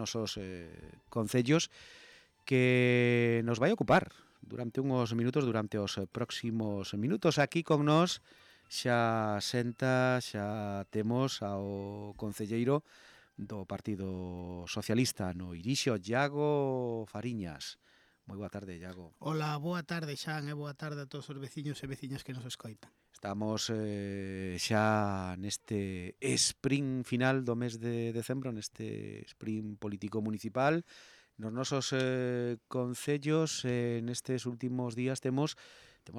nosos concellos que nos vai ocupar durante uns minutos, durante os próximos minutos. Aquí con nós xa temos ao concelleiro do Partido Socialista no Irixo, Iago Fariñas. Moi boa tarde, Iago. Hola, boa tarde, Xan, e boa tarde a todos os veciños e veciñas que nos escoitan. Estamos xa neste sprint final do mes de decembro, neste sprint político municipal. Nos nosos concellos, nestes últimos días temos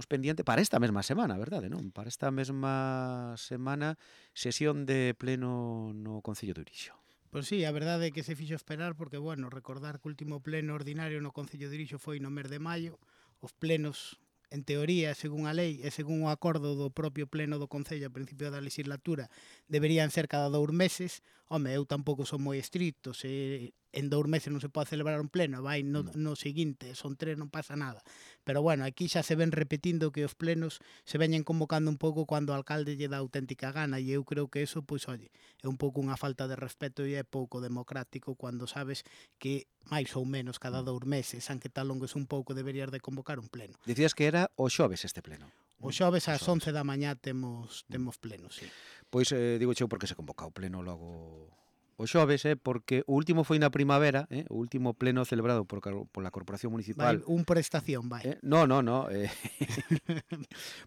pendiente para esta mesma semana, verdade, non? Para esta mesma semana, sesión de pleno no Concello de Irixo. Pois sí, a verdade é que se fixo esperar porque, bueno, recordar que o último pleno ordinario no Concello de Irixo foi no mes de maio. Os plenos, en teoría, según a lei e según o acordo do propio pleno do Concello a principio da legislatura, deberían ser cada 2 meses. Home, eu tampouco son moi estricto, se en 2 meses non se pode celebrar un pleno, vai no seguinte, son 3, non pasa nada. Pero bueno, aquí xa se ven repetindo que os plenos se veñen convocando un pouco cando o alcalde lle dá auténtica gana, e eu creo que eso, pois, oye, é un pouco unha falta de respeto e é pouco democrático cando sabes que máis ou menos cada 2 meses, aunque tal longues un pouco, deberías de convocar un pleno. Dicías que era o xoves este pleno. O xoves ás 11 da mañá temos pleno, sí. Pois digo xeo porque se convoca o pleno logo o xoves, porque o último foi na primavera, o último pleno celebrado pola Corporación Municipal. Vai, un por estación, vai. No.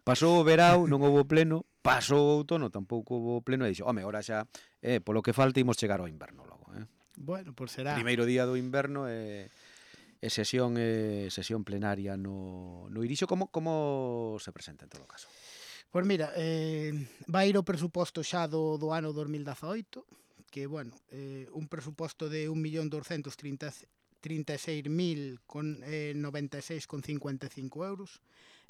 Pasou o verao, non houve pleno, pasou o outono, tampouco houve pleno, e dixo, home, ora xa, polo que falta, imos chegar ao inverno logo. Bueno, pois será. Primeiro día do inverno e sesión plenaria no Irixo. Como se presenta en todo caso? Pois mira, vai ir o presuposto xa do ano 2018, que, bueno, un presuposto de 1.236.096,55 euros.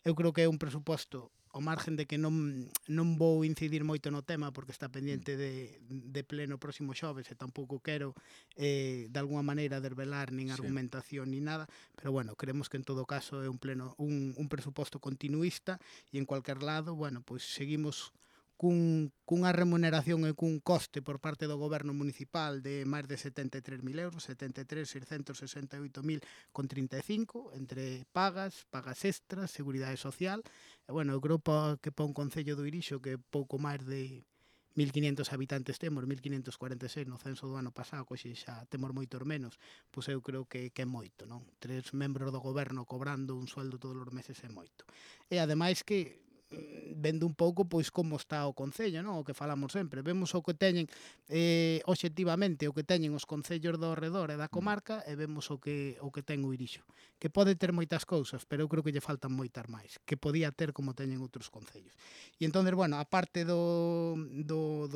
Eu creo que é un presuposto, ao margen de que non vou incidir moito no tema porque está pendiente de pleno próximo xoves e tampouco quero de alguma maneira desvelar nin argumentación ni nada, pero bueno, creemos que en todo caso é un presuposto continuista e en cualquier lado, bueno, pois seguimos cunha remuneración e cun coste por parte do goberno municipal de máis de 73.000 euros, 73.668.035, entre pagas extras, seguridade social, e bueno, eu creo que para un concello do Irixo que pouco máis de 1.500 habitantes temos, 1.546 no censo do ano pasado, coxe xa temos moitos menos, pois eu creo que é moito, non? 3 membros do goberno cobrando un sueldo todos os meses é moito. E ademais que vendo un pouco pois como está o concello, non? O que falamos sempre, vemos o que teñen obxectivamente, o que teñen os concellos do arredor e da comarca, e vemos o que ten o Irixo, que pode ter moitas cousas, pero eu creo que lle faltan moitas máis, que podía ter como teñen outros concellos. E entón, bueno, a parte do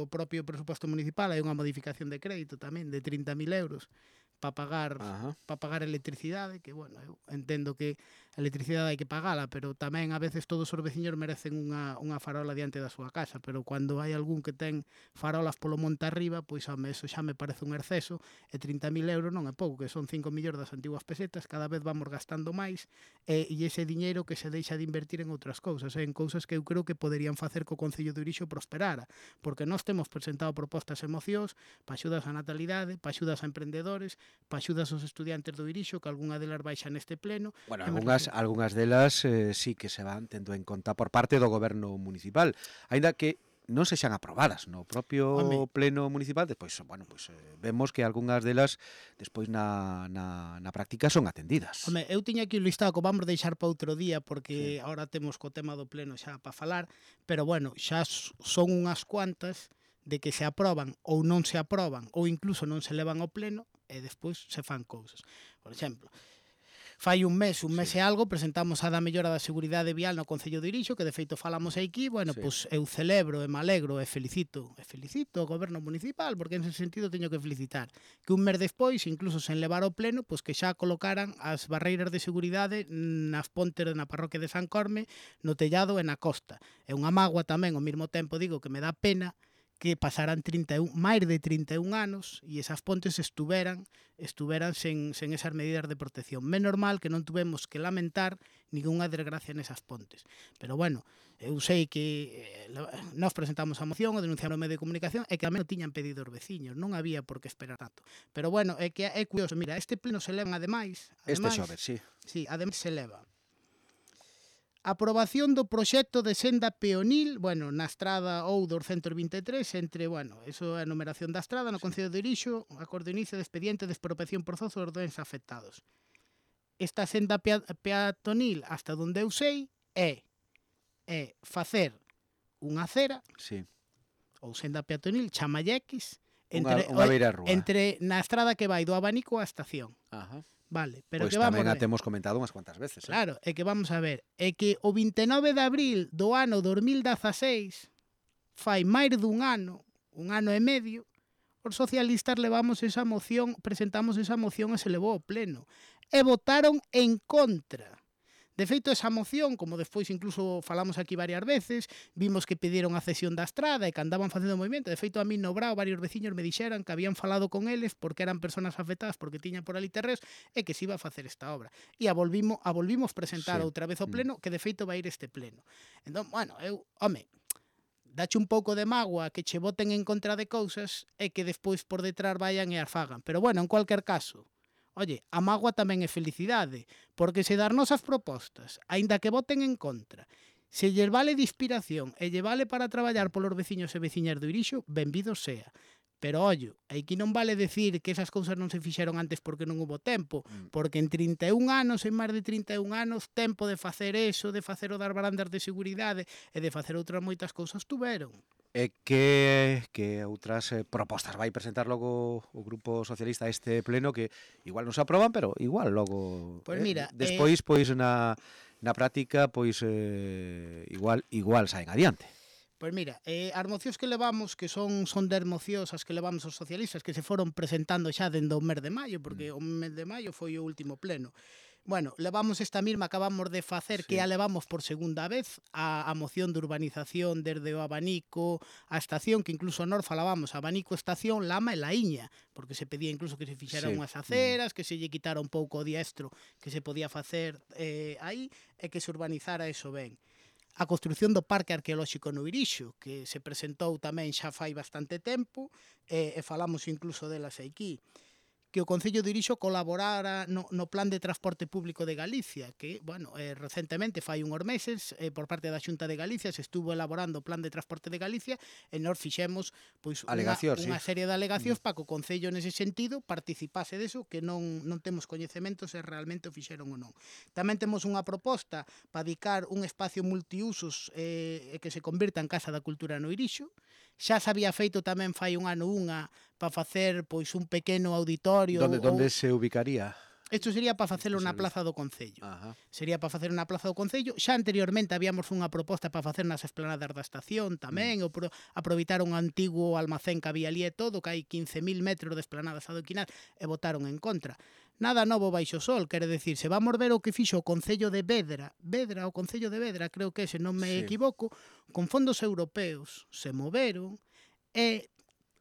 propio presuposto municipal, hai unha modificación de crédito tamén de 30.000 euros para pagar electricidade, que, bueno, eu entendo que a electricidade hai que pagala, pero tamén a veces todos os veciños merecen unha farola diante da súa casa, pero cando hai algún que ten farolas polo monte arriba, pois eso xa me parece un exceso, e 30.000 euros non é pouco, que son 5 millóns das antiguas pesetas, cada vez vamos gastando máis, e ese diñeiro que se deixa de invertir en outras cousas, en cousas que eu creo que poderían facer que o Concello do Irixo prosperara, porque nós temos presentado propostas e mocións para axudas á natalidade, para axudas a emprendedores, para axudas aos estudiantes do Irixo, que algunha delas baixa neste pleno. Bueno, algunhas delas sí que se van tendo en conta por parte do goberno municipal, aínda que non sexan aprobadas no propio pleno municipal, despois, bueno, pues vemos que algunhas delas despois na práctica son atendidas. Home, eu tiña aquí un listado que vamos deixar para outro día porque agora temos co tema do pleno xa para falar, pero bueno, xa son unhas cuantas de que se aproban ou non se aproban ou incluso non se levan ao pleno e despois se fan cousas. Por exemplo, fai un mes e algo, presentamos a da mellora da seguridade vial no Concello de Irixo, que de feito falamos aquí, bueno, pois eu celebro e me alegro e felicito o goberno municipal, porque en ese sentido teño que felicitar, que un mes despois, incluso sen levar ao pleno, pois que xa colocaran as barreiras de seguridade nas pontes na parroquia de San Corme, no tellado e na costa. É unha mágoa tamén, ao mesmo tempo digo que me dá pena que pasaran máis de 31 anos e esas pontes estuveran sen esas medidas de protección. Menos mal que non tuvemos que lamentar ninguna desgracia nesas pontes. Pero bueno, eu sei que nós presentamos a moción, o denunciaron no medio de comunicación, e que tamén o tiñan pedido os veciños, non había por que esperar tanto. Pero bueno, é que é curioso, mira, este pleno se leva ademais, Este xoves, sí. Sí, ademais se leva aprobación do proxecto de senda peonil, bueno, na estrada ou 223, entre, bueno, eso é a numeración da estrada, no Concello de Irixo, acordo inicio de expediente de expropiación forzosa dos bens afectados. Esta senda peatonil, hasta donde eu sei, é facer unha acera, Sí. ou senda peatonil, chamallequis, Unha beira rúa. entre na estrada que vai do abanico á estación. Ajá. Vale, pero Pois que vamos tamén a ver. temos comentado unhas cuantas veces. Claro, é que vamos a ver, é que o 29 de abril do ano 2016, fai máis dun ano e medio, os socialistas presentamos esa moción e se levou ao pleno. E votaron en contra. De feito, esa moción, como despois incluso falamos aquí varias veces, vimos que pediron a cesión da estrada e que andaban facendo movimento. De feito, a mí no Brao varios veciños me dixeran que habían falado con eles porque eran personas afectadas porque tiñan por ali terreos e que se iba a facer esta obra. E a volvimos presentar outra vez ao pleno, que de feito vai ir este pleno. Entón, bueno, dache un pouco de mágoa que che voten en contra de cousas e que despois por detrás vayan e as fagan. Pero bueno, en cualquier caso, oye, a mágoa tamén é felicidade, porque se dar nosas propostas, aínda que voten en contra, se lle vale de inspiración e lle vale para traballar polos veciños e veciñas do Irixo, benvido sea. Pero, ollo, aquí non vale decir que esas cousas non se fixeron antes porque non hubo tempo, porque en 31 anos, en máis de 31 anos, tempo de facer eso, de facer o das barandas de seguridade e de facer outras moitas cousas tuveron. E que outras propostas vai presentar logo o Grupo Socialista a este pleno que igual non se aproban, pero igual logo Pois mira, despois pois na práctica pois igual saen adiante. Pois mira, as mocións que levamos, que son 10 mocións as que levamos os socialistas, que se foron presentando xa dende o mes de maio, porque o mes de maio foi o último pleno. Bueno, levamos esta mesma, acabamos de facer, que a levamos por segunda vez, a moción de urbanización desde o abanico a estación, que incluso nós falábamos abanico, estación, Lama e Laíña, porque se pedía incluso que se fixeran unhas aceras, que se lle quitara un pouco o diestro que se podía facer aí, e que se urbanizara eso ben. A construción do Parque Arqueolóxico no Irixo, que se presentou tamén xa fai bastante tempo, e falamos incluso delas aquí. Que o Concello de Irixo colaborara no Plan de Transporte Público de Galicia, que, bueno, recentemente, fai unhos meses, por parte da Xunta de Galicia, se estuvo elaborando o Plan de Transporte de Galicia e nós fixemos pois unha serie de alegacións para que o Concello nese sentido participase deso, que non temos coñecemento se realmente o fixeron ou non. Tamén temos unha proposta para dedicar un espacio multiusos que se convirta en Casa da Cultura no Irixo. Xa se había feito tamén fai un ano para facer pois un pequeno auditorio. Donde se ubicaría? Isto sería para facelo na Plaza do Concello. Ajá. Sería para facer na Plaza do Concello. Xa anteriormente habíamos unha proposta para facer nas esplanadas da estación tamén, ou aproveitar un antigo almacén que había ali e todo, que hai 15.000 metros de esplanadas adoquinadas, e votaron en contra. Nada novo baixo o sol, quere decir, se vamos ver o que fixo o Concello de Vedra, o Concello de Vedra, creo que se non me equivoco, con fondos europeos se moveron e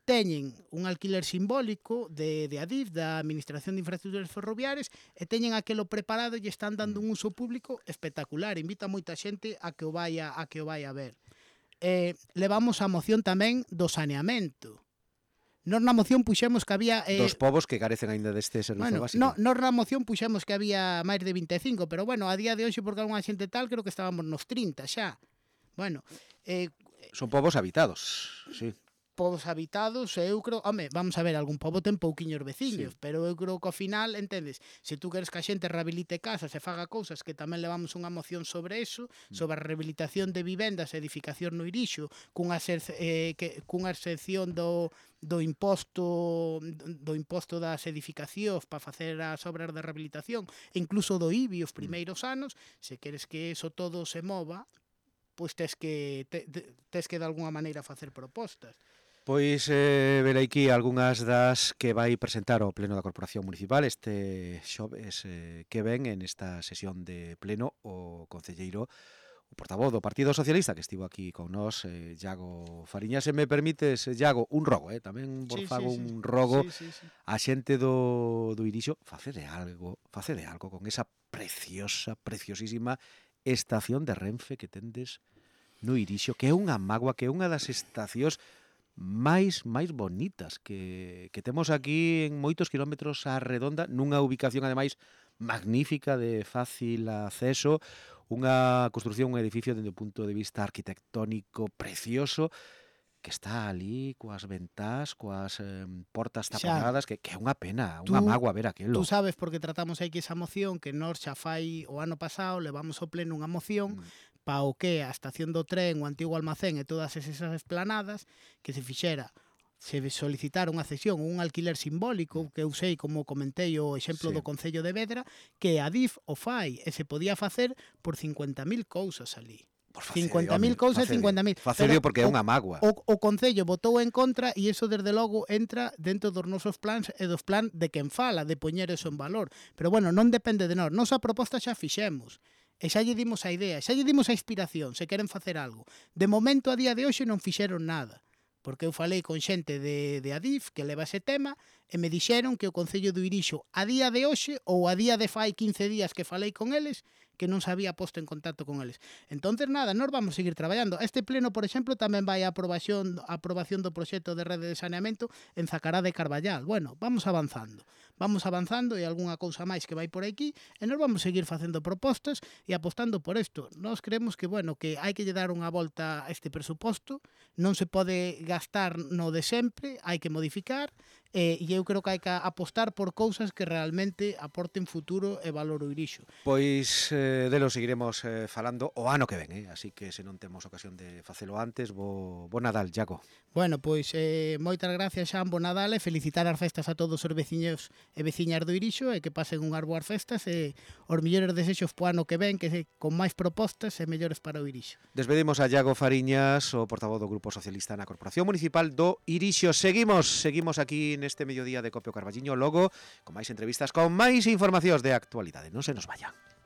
teñen un alquiler simbólico de Adif, da Administración de Infraestructuras Ferroviarias, e teñen aquelo preparado e están dando un uso público espectacular. Invita moita xente a que o vaya a ver. Levamos a moción tamén do saneamento. Nos na moción puxemos que había... dos povos que carecen aínda deste servizo básico. Nos na moción puxemos que había máis de 25, pero bueno, a día de hoxe, porque algunha xente tal, creo que estábamos nos 30 xa. Bueno... son povos habitados, sí. Povos habitados, eu creo, vamos a ver, algún pobo ten pouquiños veciños, pero eu creo que ao final, entendes, se tú queres que a xente rehabilite casas e faga cousas, que tamén levamos unha moción sobre eso, sobre a rehabilitación de vivendas e edificación no Irixo, cunha excepción do imposto das edificacións para facer as obras de rehabilitación, e incluso do IBI os primeiros anos, se queres que eso todo se mova, pois tes que de alguna maneira facer propostas. Pois velaquí algunhas das que vai presentar o Pleno da Corporación Municipal este xoves que ven en esta sesión de pleno o concelleiro o portavoz do Partido Socialista que estivo aquí con nós, Iago Fariñas. Se me permites, Iago, un rogo, tamén vos fago un rogo a xente do Irixo, facede algo con esa preciosísima estación de Renfe que tendes no Irixo, que é unha mágoa, que é unha das estacións máis bonitas que temos aquí en moitos kilómetros á redonda, nunha ubicación ademais magnífica, de fácil acceso, unha construción, un edificio dende o punto de vista arquitectónico precioso, que está ali coas ventás, coas portas taponadas, que é unha pena, unha mágoa ver aquilo. Tú sabes porque tratamos aquí esa moción, que nós xa fai o ano pasado levamos ao pleno unha moción pa o que a estación do tren, o antigo almacén e todas esas esplanadas que se fixera, se solicitara unha cesión ou un alquiler simbólico, que eu sei, como comentei o exemplo do Concello de Vedra, que a DIF o fai e se podía facer por 50.000 cousas ali. 50.000 cousas, 50.000. Facedio porque é unha mágoa. O Concello votou en contra e iso desde logo entra dentro dos nosos plans e dos plan de quen fala, de poñer eso en valor. Pero bueno, non depende de nós. Nosa proposta xa fixemos. E xa lle dimos a idea, xa lle dimos a inspiración, se queren facer algo. De momento, a día de hoxe, non fixeron nada. Porque eu falei con xente de Adif que leva ese tema e me dixeron que o Concello do Irixo a día de hoxe ou a día de fai 15 días que falei con eles que non se había posto en contacto con eles. Entonces nada, nós vamos seguir traballando. Este pleno, por exemplo, tamén vai a aprobación do proxecto de rede de saneamento en Zacará de Carballal. Bueno, vamos avanzando e algunha cousa máis que vai por aquí e nós vamos seguir facendo propostas e apostando por isto. Nós creemos que, bueno, que hai que lle dar unha volta a este presuposto, non se pode gastar no de sempre, hai que modificar e eu creo que hai que apostar por cousas que realmente aporten futuro e valor ao Irixo. Pois delo seguiremos falando o ano que ven, así que se non temos ocasión de facelo antes, bo Nadal, Iago. Bueno, pois moitas gracias, Xan, bo Nadal e felicitar as festas a todos os veciños e veciñas do Irixo e que pasen unhas boas festas e os mellores desexos po ano que ven, que con máis propostas e mellores para o Irixo. Despedimos a Iago Fariñas, o portavoz do Grupo Socialista na Corporación Municipal do Irixo. Seguimos aquí neste mediodía de Copio Carballiño, logo con máis entrevistas, con máis informacións de actualidade. Non se nos vayan.